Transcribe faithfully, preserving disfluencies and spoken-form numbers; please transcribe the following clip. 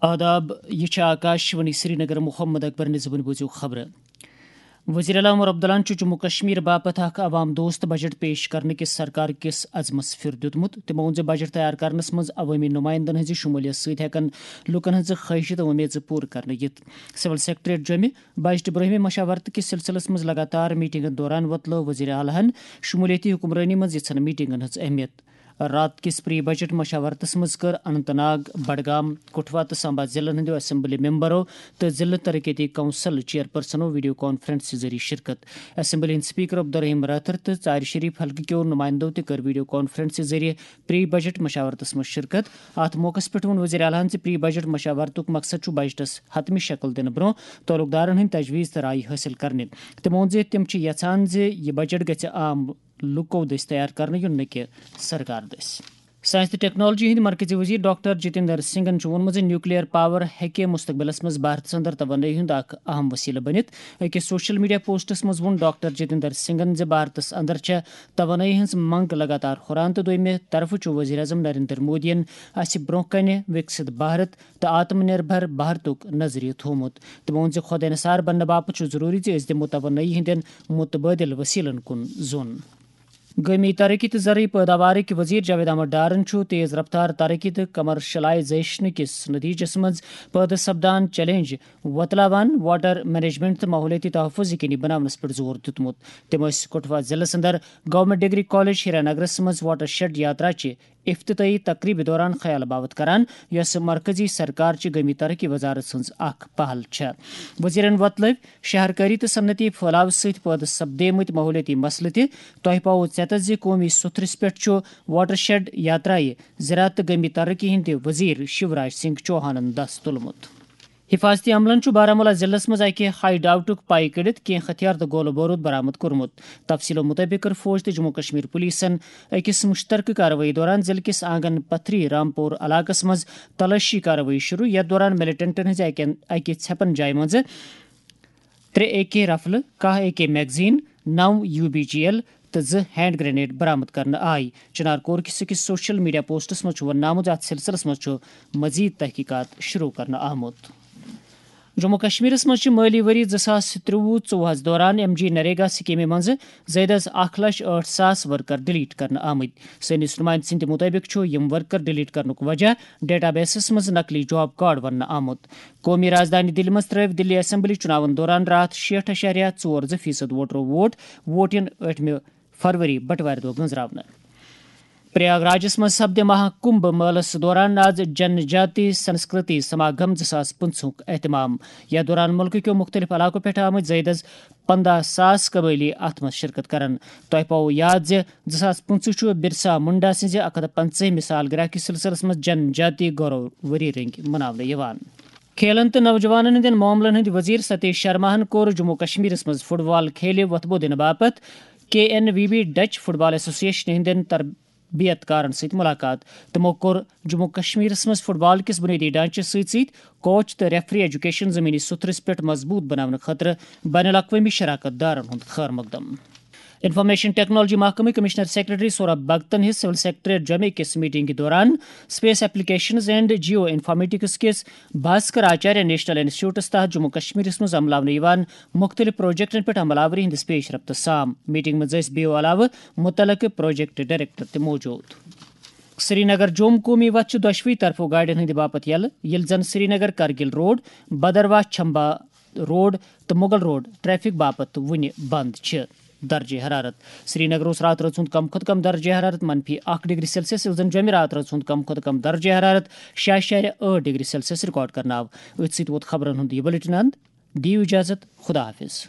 آداب، یہِ چھِ آکاش وانی سرینگر۔ محمد اکبر نظامن بوٗزِو خبرٕ۔ وزیر اعلیٰ عمر عبداللہن چھُ جموں کشمیر باپتھ اکھ عوام دوست بجٹ پیش کرنہٕ کِس سرکار کِس عزمس پھِر دیُتمُت۔ تِمو ووٚن زِ بجٹ تیار کرنس منٛز عوٲمی نمائندن ہٕنٛزِ شمولیت سۭتۍ ہٮ۪کن لوٗکن ہٕنٛزٕ خٲہشہٕ تہٕ وۄمیژٕ پوٗرٕ کرنہٕ یِتھ۔ سول سیکرٹریٹ جوٚمہِ بجٹہٕ برٛونٛہمہِ مشاورتہٕ کِس سلسلس منٛز لگاتار میٹنگن دوران وۄتلٲو وزیر اعلیٰ ہن شمولیتی حکمرٲنی منٛز یِژھن میٹنگن ہٕنٛز اہمیت۔ راتھ کِس پری بجٹ مشاورتس منٛز کٔر اننت ناگ، بڈگام، کٹھوا تہٕ سامبا ضلعن ہٕنٛدیو اسمبلی ممبرو تہٕ ضلعہٕ ترقیتی کونسل چیئرپرسنو ویڈیو کانفرنس ذٔریعہٕ شرکت۔ اسمبلی ہٕنٛدۍ سپیکر عبدالرحیم رٲتھر تہٕ ژارِ شریف حلقہٕ کیو نمائندو تہِ کٔر ویڈیو کانفرنس ذٔریعہٕ پری بجٹ مشاورتس منٛز شرکت۔ اتھ موقعس پٮ۪ٹھ ووٚن وزیر اعلیٰ ہن زِ پری بجٹ مشاورتُک مقصد چھُ بجٹس حتمی شکل دِنہٕ برٛونٛہہ تعلق دارن ہٕنٛدۍ تجویز تہٕ رایہِ حٲصِل کرنہِ۔ تِمو ووٚن زِ تِم چھِ یژھان زِ یہِ بجٹ گژھِ عام لوٗکو دٔسۍ تیار کرنہٕ یُن، نہٕ کہِ سرکار دٔسۍ۔ ساینس تہٕ ٹیکنالوجی ہٕنٛدۍ مرکزی وزیر ڈاکٹر جتیندر سنگھن چھُ ووٚنمُت زِ نیوکلیئر پاور ہیٚکہِ مستقبلس منٛز بھارتس اندر توانٲیی ہُنٛد اکھ اہم وسیلہٕ بٔنِتھ۔ أکِس سوشل میڈیا پوسٹس منٛز ووٚن ڈاکٹر جتیندر سنگھن زِ بھارتس اندر چھےٚ توانٲیی ہٕنٛز منگ لگاتار ہُران تہٕ دوٚیمہِ طرفہٕ چھُ وزیر اعظم نریندر مودیَن اسہِ برٛونٛہہ کنہِ وِکسِت بھارت تہٕ آتم نربھر بھارتُک نظریہٕ تھوومُت۔ تِمو ووٚن زِ خۄد انحصار بننہٕ باپتھ چھُ ضروٗری زِ أسۍ دِمو توانٲیی ہٕنٛدٮ۪ن متبادل وسیلن کُن زون۔ گٲمی ترقی تہٕ زرعی پٲداوارٕکۍ وزیر جاوید احمد ڈارن چھُ تیز رفتار ترقی تہٕ کمرشلائزیشن کِس نتیجس منٛز پٲدٕ سپدان چیلنج وۄتلاوان واٹر مینجمنٹ تہٕ ماحولیٲتی تحفظ یقینی بناونس پٮ۪ٹھ زور دیُتمُت۔ تِم ٲسۍ کٹھوا ضلعس اندر گورنمنٹ ڈگری کالج ہیرانگرس منٛز واٹر شیڈ یاترا چہِ افتتاحی تقریبہِ دوران خیال باوت کران، یۄس مرکزی سرکار چہِ گٲمی ترقی وزارت سٕنٛز اکھ پہل چھےٚ۔ وزیرن وۄتلٲوۍ شہرکٲری تہٕ صنعتی پھٲلاو سۭتۍ پٲدٕ سپدیمٕتۍ ماحولیٲتی مسلہٕ تہِ۔ تۄہہِ پاوو ژٮ۪تس زِ قومی سُتھرِس پٮ۪ٹھ چھُ واٹر شیڈ یاترایہِ زراعت تہٕ گٲمی ترقی ہٕنٛدِ وزیر شیوراج سنگھ چوہانن دس تُلمُت۔ حفاظتی عملن چھُ بارہمولہ ضلعس منٛز اکہِ ہائی ڈاؤٹُک پائی کٔڑِتھ کینٛہہ ہتھیار تہٕ گولہٕ بوروٗد برآمد کوٚرمُت۔ تفصیلو مُطٲبِق کٔر فوج تہٕ جموں کشمیر پولیسن أکِس مشترکہٕ کاروٲیی دوران ضلعہٕ کِس آنگن پتھری رامپور علاقس منٛز تلٲشی کاروٲیی شروع، یتھ دوران ملیٹنٹن ہٕنٛزِ اکہِ، اکہِ ژھٮ۪پن جایہِ منٛزٕ ترٛےٚ اے کے رفلہٕ، کاہ اے کے میگزین، نو یو بی جی ایل تہٕ زٕ ہینڈ گرنیڈ برآمد کرنہٕ آیہِ۔ چنار کور کِس أکِس سوشل میڈیا پوسٹس منٛز چھُ وننہٕ آمُت زِ اتھ سلسلس منٛز چھُ مزید تحقیقات شروع کرنہٕ آمُت۔ جموں کشمیرس منٛز چھِ مٲلی ؤری زٕ ساس ترٛوُہ ژوٚوُہس دوران ایم جی نریگا سکیمہِ منٛز زائدہ از اکھ لچھ ٲٹھ ساس ورکر ڈیلیٹ کرنہٕ آمٕتۍ۔ سٲنِس نمائندٕ سٕنٛدِ مُطٲبِق چھُ یِم ورکر ڈیلیٹ کرنُک وجہ ڈیٹا بیسس منٛز نقلی جاب کارڈ وننہٕ آمُت۔ قومی راجدھانی دِلہِ منٛز ترٲوۍ دِلی اسمبلی چُناون دوران راتھ شیٹھ اَشاریہ ژور زٕ فیصد ووٹرو ووٹ۔ ووٹ یِن ٲٹھمہِ فروری بٹوارِ دۄہ گٔنزراونہٕ۔ پریاگ راجس منٛز سپدِ مہا کمبھ مٲلس دوران آز جن جاتی سنسکرتی سماگم زٕ ساس پٕنٛژٕہُک اہتمام۔ یتھ دوران مُلکہٕ کیو مُختٔلِف علاقو پٮ۪ٹھ آمٕتۍ زائدہ از پنٛداہ ساس قبٲئلی اتھ منٛز شرکت کرن۔ تۄہہِ پاوو یاد زِ زٕ ساس پٕنٛژٕہ چھُ برسا منڈا سٕنٛزِ اکھ ہتھ پنٛژاہمہِ سالگرہ کِس سلسلس منٛز جن جاتی گورو ؤری رٔنگۍ مناونہٕ یِوان۔ کھیلن تہٕ نوجوانن ہٕنٛدٮ۪ن معاملن ہٕنٛدۍ وزیر ستیش شرماہن کوٚر جموں کشمیرس منٛز فٹ بال کھیلہِ وۄتھٕ بوٚو دِنہٕ باپتھ K N V B Dutch football association ہٕنٛدٮ۪ن تربیت کارن سۭتۍ ملاقات۔ تِمو کوٚر جموں کشمیرس منٛز فٹ بال کِس بنیٲدی ڈھانچس سۭتۍ سۭتۍ کوچ تہٕ ریفری ایجوکیشن زمینی سُتھرس پٮ۪ٹھ مضبوط بناونہٕ خٲطرٕ بین الاقوٲمی شراکت دارن ہُنٛد خٲر مقدم۔ انفارمیشن ٹیکنالوجی محکمٕکۍ کمشنر سیکرٹری سوربھ بھگتن ہٕنٛز سول سیکرٹریٹ جمعہ کِس میٹنگہِ دوران space applications and geo informatics کِس بھاسکر آچاریہ نیشنل انسٹیٹیوٹس تحت جموں کشمیرس منٛز عملاونہٕ یِوان مُختٔلِف پروجیکٹن پٮ۪ٹھ عمل آوری ہٕنٛدِس پیش رفتس سام۔ میٹنگ منٛز ٲسۍ بیو علاوٕ مُتعلقہٕ پروجیکٹ ڈائریکٹر تہِ موجود۔ سرینگر جوم قومی وتھ چھِ دۄشوٕے طرفو گاڑٮ۪ن ہٕنٛدِ باپتھ یلہٕ، ییٚلہِ زن سرینگر کرگل روڈ، بدرواہ چھمبا روڈ تہٕ مغل روڈ ٹریفک باپتھ وُنہِ بند چھِ۔ درجہ حرارت۔ سرینگر اوس راتہٕ رٲژ ہُنٛد کم کھۄتہٕ کم درجہ حرارت منفی اکھ ڈگری سیلسیس، ییٚلہِ زن جوٚمہِ راتہٕ رٲژ ہُنٛد کم کھۄتہٕ کم درجہ حرارت شےٚ اَشاریہ ٲٹھ ڈگری سیلسیس ریکارڈ کرنہٕ آو۔ أتھۍ سۭتۍ ووت خبرن ہُنٛد یہِ بلیٹن اند۔ دِیِو اجازت، خدا حافظ۔